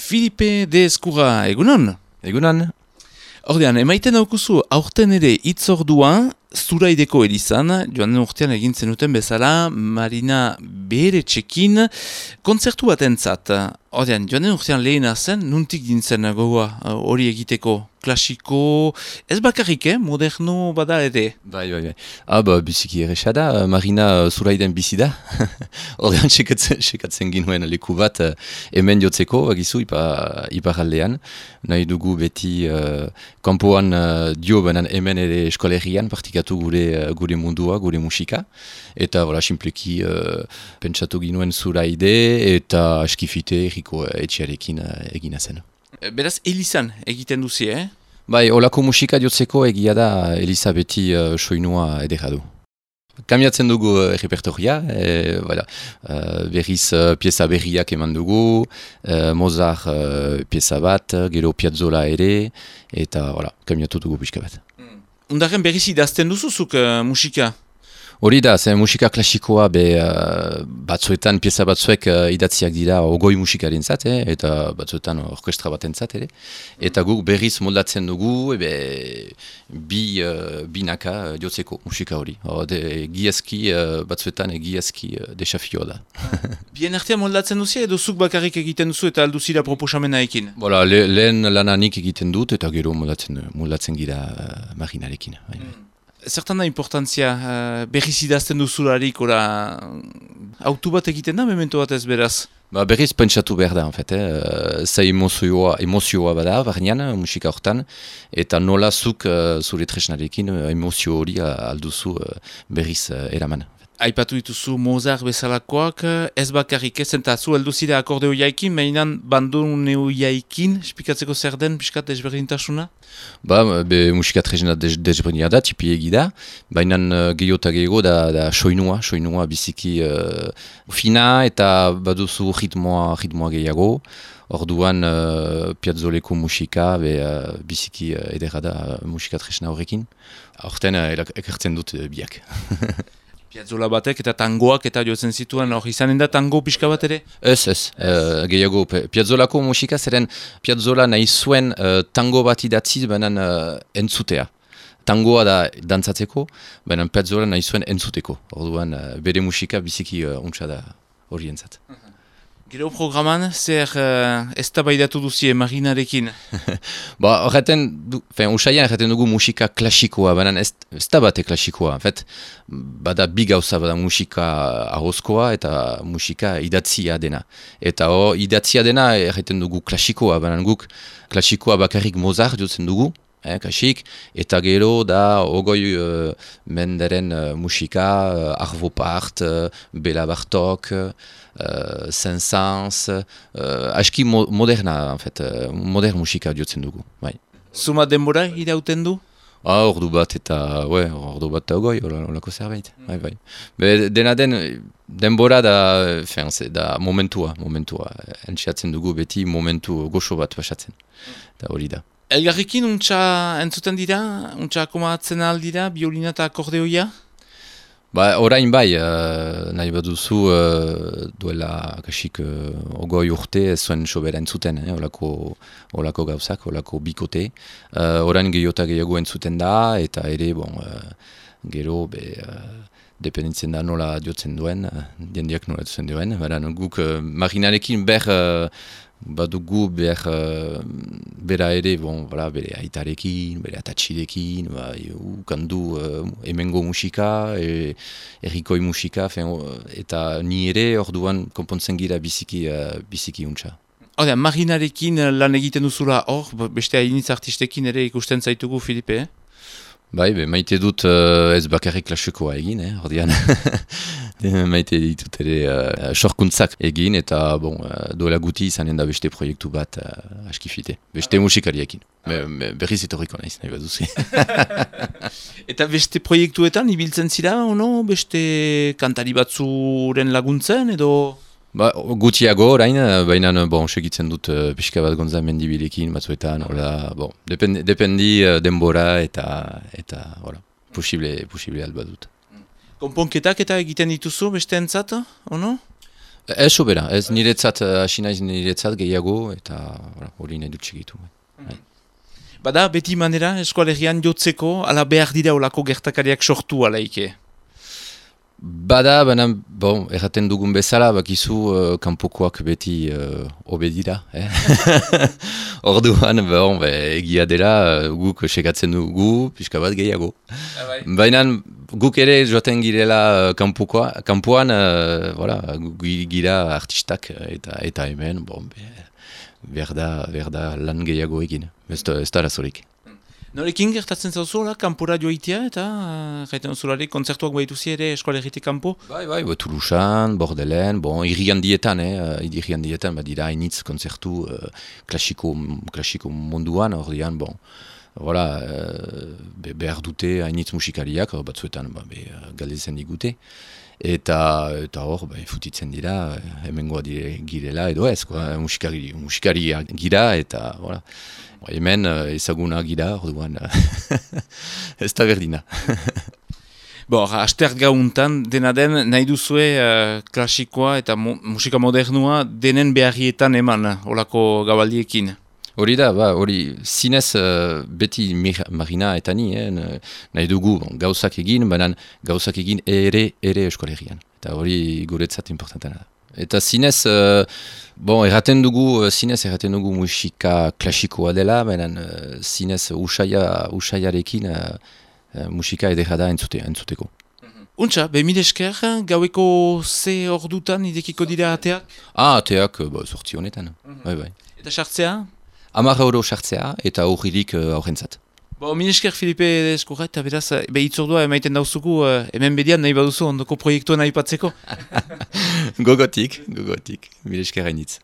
Filipe de Ezkurra, egunon? Egunon. Ordean, emaiten daukuzu, aurten ere itzordua, Zuraideko elizan, joan den urtean egin zenuten bezala, Marina Beheretxekin, kontzertu bat entzat. Ordean, joan den urtean lehena zen, nuntik dintzen gogoa hori egiteko? Klasiko, ez bakarrik, moderno bada ere. Bai. Biziki erresa da, Marina Zuraiden bizi da. Ordean, sekatzen ginuen leku bat hemen jotzeko, bagizu, iparaldean. Nahi dugu beti kanpoan dio banan hemen ere eskolegian, partikatu gure mundua, gure musika. Eta, simpleki pentsatu ginuen Zuraide eta askifite erriko etxearekin egina zen. Beraz, elizan egiten duzi, Bai, olako musika jotzeko egia da Eliza beti soinua edera du. Kamiatzen dugu repertoria, berriz pieza berriak eman dugu, Mozart pieza bat, gero Piazzolla ere, eta kamiatu dugu pixka bat. Undaren berriz idazten duzuzuk musika? Hori da, zen musika klasikoa batzuetan, pieza batzuek idatziak dira ogoi musikaren zat, eta batzuetan orkestra baten zat, ere. Eta guk berriz moldatzen dugu, binaka jotzeko musika hori. Giazki, batzuetan giazki desafio da. Bien artean moldatzen duzia edo zuk bakarrik egiten duzu eta alduzira proposamena ekin? Lehen lananik egiten dut eta gero moldatzen gira Marinarekin. Zertan da importantzia berriz idazten duzularik, autu bat egiten da, memento bat ez beraz? Berriz pentsatu behar da, ze emozioa bada, barnean, musika hortan, eta nola zuk zure tresnarekin emozio hori alduzu berriz eraman. Aipatu dituzu Mozart bezalakoak, ez bakarrik ez, eta zu elduzira akordeo jaikin, mainan bandoneo jaikin, espikatzeko zer den, piskat desberdintasuna? Musika tresna desberdina da, tipi egida, baina gehiota gehiago da soinua biziki fina eta baduzu ritmoa gehiago. Orduan Piazzoleko musika biziki edera da musika tresna horrekin. Horten ekartzen dut biak. Piazzolla batek eta tangoak eta jotzen zituen, izanen da tango pixka bat ere? Ez, gehiago Piazzolako musika zeren Piazzolla nahi zuen tango bat idatziz banan entzutea. Tangoa da dantzatzeko, baina Piazzolla nahi zuen entzuteko. Orduan bere musika biziki untsa da horientzat. Gero programan, zer eztabaidatu duzie Marinarekin? Usaian erraten dugu musika klasikoa, baina ez da bate klasikoa. Bada bi gauza, bada musika ahozkoa eta musika idatzia dena. Eta idatzia dena erraten dugu klasikoa, baina guk klasikoa bakarrik Mozart jotzen dugu, kasik, eta gero da ogoi menderen musika, Arvo Pärt, Béla Bartók, Saint-Saëns, aski moderna, modern musika jotzen dugu. Zuma denbora irauten du? Ordu bat eta ogoi, olako zerbait. Dena denbora da momentua. Entxeatzen dugu beti momentu goxo bat pasatzen. Da hori da. Elgarrekin untxa entzuten dira? Untxa akomatzen aldira, biolina eta akordeoia? Orain nahi baduzu duela kasik ogoi urte ez zuen sobera entzuten, olako gauzak, olako bikote. Orain gehiota gehiago entzuten da, eta ere, gero, dependentzen da nola diotzen duen, diendiak nola diotzen duen. Guk Marinarekin badugu bera ere, bere aitarekin, bere atatxirekin, ukandu hemengo musika, errikoi musika, eta ni ere orduan konpontzen gira biziki untsa. Marinarekin lan egiten duzula beste hainitz artistekin ere ikusten zaitugu, Filipe, maite dut ez bakarrik klasikoa egin, ordean. Maite ditut ere sorkuntzak egin, eta duela guti izanen da beste proiektu bat askifite. Beste musikariekin. Berriz etorriko naiz, nahi baduzi. Eta beste proiektuetan ibiltzen zira, beste kantari batzuren laguntzen, edo? Gutiago orain, baina segitzen dut pixka bat Gonza Mendibilekin batzuetan, dependi denbora eta posible alba dut. Konponketak eta egiten dituzu beste entzat, ono? Ez sobera, ez niretzat, hasi naiz niretzat gehiago, eta hori nahi dut segitu. Bada, beti manera, eskoalegian jotzeko, ala behar dira olako gertakariak sortu alaike? Bada, baina, bon, erraten dugun bezala, bakizu kanpokoak beti obedira. Orduan, bon, egia dela, guk sekatzen dugu, pixka bat gehiago. Baina, guk ere joaten girela kanpoan, gira artistak eta hemen, bon, behar da lan gehiago egin, ez da razorik. Norekin gertatzen zauzola, kanpora joitea eta gaiten zuzulari kontzertuak baituzi ere eskoalegitik kanpo? Bai, Toulousan, Bordelen, bon, irriandietan badira hainitz kontzertu klasiko munduan, ordean, bon, behar dute hainitz musikariak, batzuetan galdezen digute. Eta hor, futitzen dira, hemengoa girela edo ez, musikari gira eta, hemen ezaguna gira, orduan, ez da berdina. Astert gauntan, dena den, nahi duzue klasikoa eta musika modernua denen beharrietan eman, olako gabaldiekin. Hori da, hori zinez beti Marina eta ni, nahi dugu gauzak egin, baina gauzak egin ere eskolegian. Eta hori guretzat importantena da. Eta zinez, erraten dugu musika klasikoa dela, baina zinez usaiarekin musika edera da entzuteko. Untxa, mil esker, gaueko ze ordutan idekiko dira ateak? Ateak, sortzi honetan. Bai. Eta sartzea? 10 euro sartzea eta horirik aurrentzat. Mil esker Filipe Eskurra eta beraz, hitzordua emaiten dauzuku hemen bedian nahi baduzu ondoko proiektua nahi patzeko? Gogotik, mil esker hainitz.